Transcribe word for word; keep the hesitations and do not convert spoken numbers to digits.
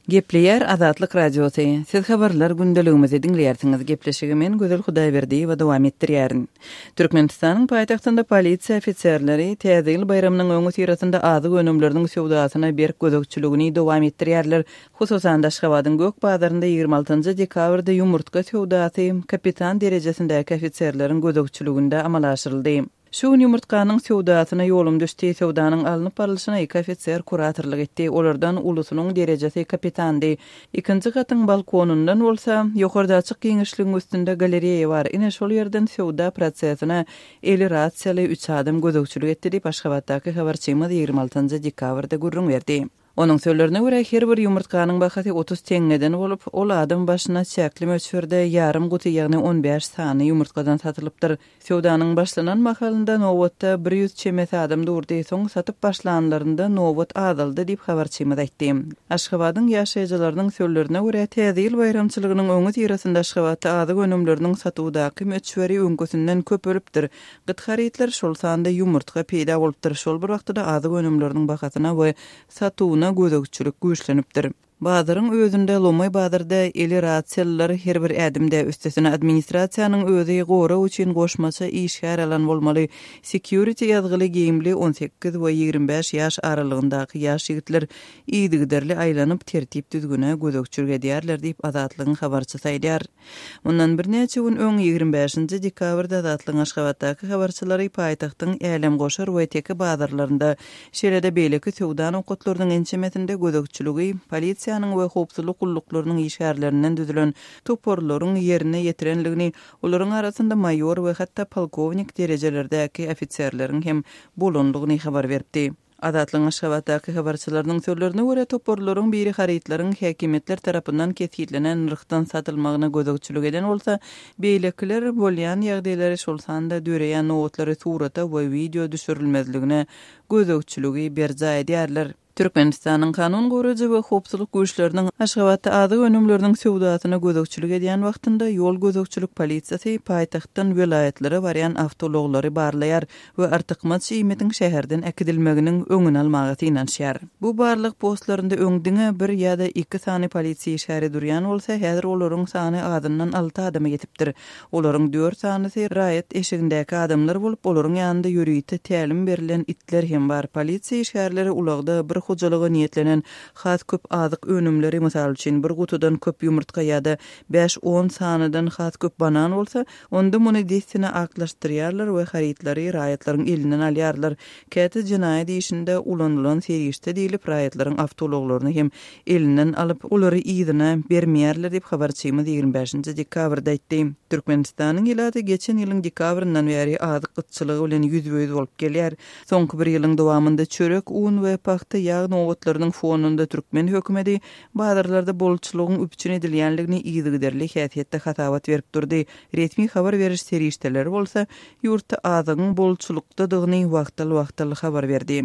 Gepleýär Azatlyk Radiosy. Siz habarlar gündeligimizi diňleýärsiňiz. Gepleşigi men Gözel Hudaýberdiýewa dowam etdirýärin. Türkmenistanyň paýtagtynda polisiýa ofiserleri Täze ýyl baýramynyň öňüsyrasynda azyk önümleriniň söwdasyna berk gözegçiligini dowam etdirýärler. Hususan Aşgabadyň Gök bazarynda ýigrimi altynjy dekabrda ýumurtga söwdasy kapitan derejesindäki ofiserleriň gözegçiliginde amala aşyryldy. Şu gün ýumurtganyň söwdasyna ýolum düşdi. Söwdanyň alnyp barlyşyna iki ofiser kuratorlyk etdi. Olardan ulusynyň derejesi kapitandy. Ikinji gatyň balkonundan bolsa ýokarda açyk giňişligiň üstünde galereýa bar. Ine şol ýerden söwda prosesine eli rasiýaly üç adam gözegçilik etdi diýip Aşgabatdaky habarçymyz ýigrimi altynjy dekabrda gürrüň berdi. Onuň sözlerine görä her bir ýumurtganyň bahasy otuz teňňeden bolup, ol adam başyna çäkli möçberde ýarym guty ýagny on bäş sany ýumurtgadan satylypdyr. Söwdanyň başlanan mahalynda nobatda bir ýüz çemesi adam durdy, soň satyp başlanlarynda nobat azaldy diýip habarçymyz aýtdy. Aşgabadyň ýaşaýjylarynyň sözlerine görä Täze ýyl baýramçylygynyň öňüsyrasynda Aşgabatda azyk önümleriniň satuwdaky möçberi öňküsinden köpelipdir. Gyt harytlar şol sanda ýumurtga peýda bolupdyr. Şol bir wagtda azyk önümleriniň bahasyna we satuwyna gözegçilik güýçlenipdir. Bazaryň özünde Lomaý bazarda eli rasiýalylar her bir ädimde üstesine administrasiýanyň özi gorag üçin goşmaça işgär alan bolmaly. Security ýazgyly geýimli on sekiz we ýigrimi bäş ýaş aralygyndaky ýaş ýigitler yzygiderli aýlanyp tertip düzgüne gözegçilik edýärler diýip Azatlygyň habarçysy aýdýar. Mundan birnäçe gün öň ýigrimi bäşinji dekabrda Azatlygyň Aşgabatdaky habarçylary paýtagtyň Älemgoşar we Teke bazarlarynda, şeýle-de beýleki söwda nokatlarynyň ençemesinde gözegçiligi polisiýanyň we howpsuzlyk gulluklarynyň işgärlerinden düzülen toparlaryň ýerine ýetirenligini, olaryň arasynda maýor we hatda polkownik derejelerdäki ofiserleriň hem bolanlygyny habar beripdi. Azatlygyň Aşgabatdaky habarçylarynyň sözlerine görä toparlaryň biri harytlaryň häkimiýetler tarapyndan kesgitlenen nyrhdan satylmagyna gözegçilik eden bolsa, beýlekiler bolýan ýagdaýlary şol sanda döreýän nobatlary surata we wideo düşürilmezligine gözegçiligi berjaý edýärler. Türkmenistanyň kanun goraýjy we howpsuzlyk güýçleriniň Aşgabatda azyk önümleriniň söwdasyna gözegçilik edýän wagtynda ýol gözegçilik polisiýasy paýtagtdan welaýatlara barýan awtoulaglary barlaýar we artykmaç iýmitiň şäherden äkidilmeginiň öňüni almaga synanyşýar. Bu barlyk postlarynda öň diňe bir ýa-da iki sany polisiýa işgäri durýan bolsa, häzir olaryň sany azyndan alty adama ýetipdir. Olaryň dört sanysy raýat eşigindäki adamlar bolup, olaryň ýanynda ýörite tälim berlen itler hem bar. Polisiýa işgärleri ulagda bir hojalyga niýetlenen has köp azyk önümleri, mysal üçin bir gutudan köp ýumurtga ýa-da bäş-on sanydan has köp banan bolsa, onda muny dessine aklaşdyrýarlar we harytlary raýatlaryň elinden alýarlar. Käte jenaýat işinde ulanylan serişde diýlip raýatlaryň awtoulaglaryny hem elinden alyp, olary yzyna bermeýärler diýip habarçymyz ýigrimi bäşinji dekabrda aýtdy. Türkmenistanyň ilaty geçen ýylyň dekabryndan bäri azyk gytçylygy bilen ýüzbe-ýüz bolup gelýär. Soňky bir ýylyň dowamynda çörek, un we pagta ýag nobatlarynyň fonunda türkmen hökümeti bazarlarda bolçulygyň üpjün edilýänligini yzygiderli häsiýetde hasabat berip durdy. Resmi habar beriş serişdeleri bolsa ýurtda azygyň bolçulykdadygyny wagtal-wagtal habar berdi.